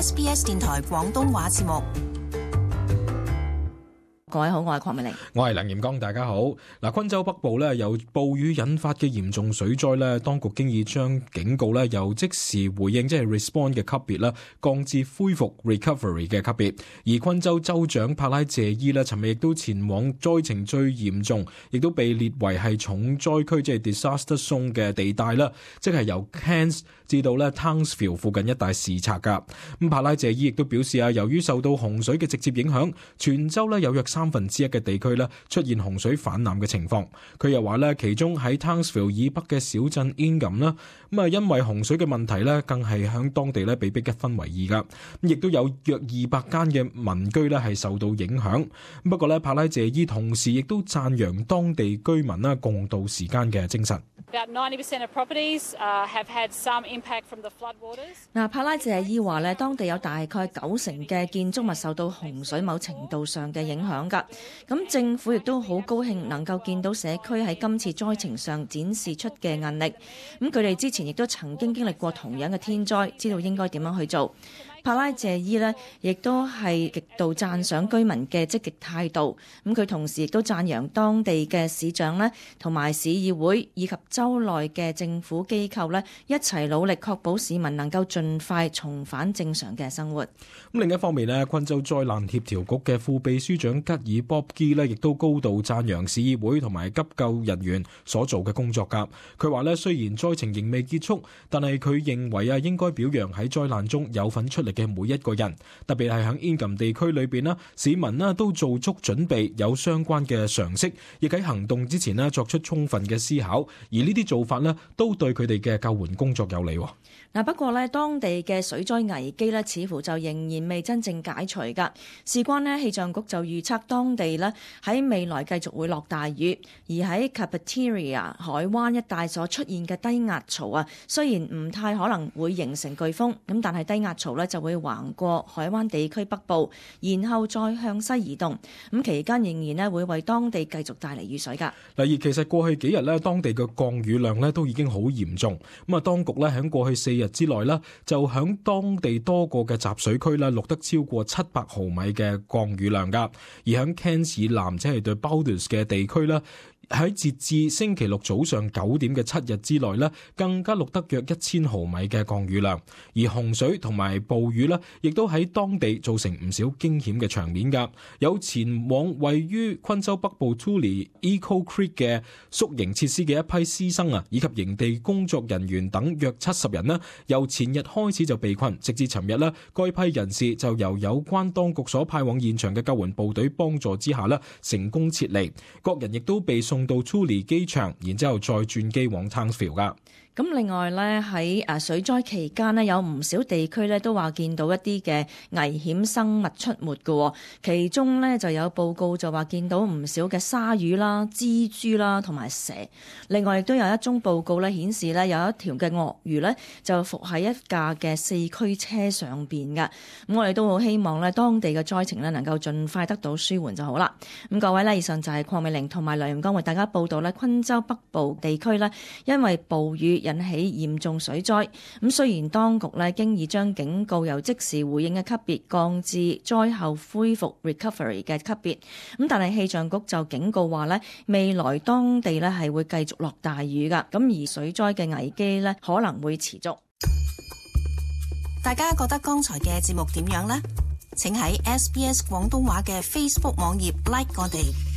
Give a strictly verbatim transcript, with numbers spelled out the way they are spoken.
S B S 電台廣東話節目。各位好，我係鄺美玲，我係梁炎剛，大家好。嗱，昆州北部咧由暴雨引發嘅嚴重水災咧，當局經已將警告咧由即時回應即係 respond 嘅級別啦，降至恢復 recovery 嘅級別。而昆州州長帕拉謝伊咧，尋日亦都前往災情最嚴重，亦都被列為係重災區，即係 disaster zone 嘅地帶啦，即係由 Cairns 至到咧 Townsville 附近一帶視察噶。咁帕拉謝伊亦都表示啊，由於受到洪水嘅直接影響，全州咧有約三分之一嘅地區咧出現洪水泛濫嘅情況。佢又話咧，其中喺 Townsville 以北嘅小鎮 Ingham 啦，咁啊因為洪水嘅問題咧，更係響當地咧被逼一分為二噶。咁亦都有約二百間嘅民居咧係受到影響。不過咧，帕拉謝伊同時亦都讚揚當地居民啦共度時間嘅精神。About ninety percent of properties have had some impact from the flood waters. 嗱，帕拉謝伊話咧，當地有大概九成嘅建築物受到洪水某程度上嘅影響㗎。咁政府亦都好高興能夠見到社區喺今次災情上展示出嘅韌力。咁佢哋之前亦都曾經經歷過同樣嘅天災，知道應該點樣去做。帕拉謝伊呢亦都係極度讚賞居民嘅積極態度。咁佢同時亦都讚揚當地嘅市長呢同埋市議會以及州內嘅政府機構呢一齊努力，確保市民能夠盡快重返正常嘅生活。咁另一方面呢，昆州災難協調局嘅副秘書長吉爾波基呢亦都高度讚揚市議會同埋急救人員所做嘅工作㗎。佢話呢，雖然災情仍未結束，但係佢認為啊，應該表揚喺災難中有份出力嘅每一個人，特別係喺 Ingham 地區裏邊啦，市民啦都做足準備，有相關嘅常識，亦喺行動之前啦作出充分嘅思考，而呢啲做法咧都對佢哋嘅救援工作有利。嗱，不過咧，當地嘅水災危機咧，似乎就仍然未真正解除㗎。事關咧，氣象局就預測當地咧喺未來繼續會落大雨，而喺 Carpentaria 海灣一帶所出現嘅低壓槽啊，雖然唔太可能會形成颶風，咁但係低壓槽咧就會橫過海灣地區北部，然後再向西移動。咁期間仍然咧會為當地繼續帶嚟雨水㗎。嗱，而其實過去幾日咧，當地嘅降雨量咧都已經好嚴重。咁啊，當局咧喺過去四日之內啦，就響當地多個嘅集水區啦，錄得超過七百毫米嘅降雨量噶。而響 Cairns 以南，即係對 Baldus 嘅地區啦，喺截至星期六早上九點嘅七日之內呢，更加錄得約一千毫米嘅降雨量。而洪水同埋暴雨呢，亦都喺當地造成唔少驚險嘅場面噶。有前往位於昆州北部 Tooele Echo Creek 嘅宿營設施嘅一批師生啊，以及營地工作人員等約七十人呢，由前日開始就被困，直至尋日呢，該批人士就由有關當局所派往現場嘅救援部隊幫助之下呢，成功撤離。各人亦都被送到 Tooele 機場，然之後再轉機往 Townsville 噶。咁另外咧，喺誒水災期間呢，有唔少地區咧都話見到一啲嘅危險生物出沒嘅，其中咧就有報告就話見到唔少嘅鯊魚啦、蜘蛛啦同埋蛇。另外亦都有一宗報告咧顯示咧有一條嘅鱷魚咧就伏喺一架嘅四驅車上邊嘅。咁我哋都好希望咧當地嘅災情咧能夠盡快得到舒緩就好啦。咁各位咧，以上就係鄺美玲同埋梁炎剛為大家報道咧昆州北部地區咧因為暴雨引起嚴重水災。咁雖然當局咧經已將警告由即時回應嘅級別降至災後恢復 recovery 嘅級別，咁但係氣象局就警告話咧，未來當地咧係會繼續落大雨噶，咁而水災嘅危機咧可能會持續。大家覺得剛才嘅節目點樣呢？請喺 S B S 廣東話嘅 Facebook 網頁 like 我哋。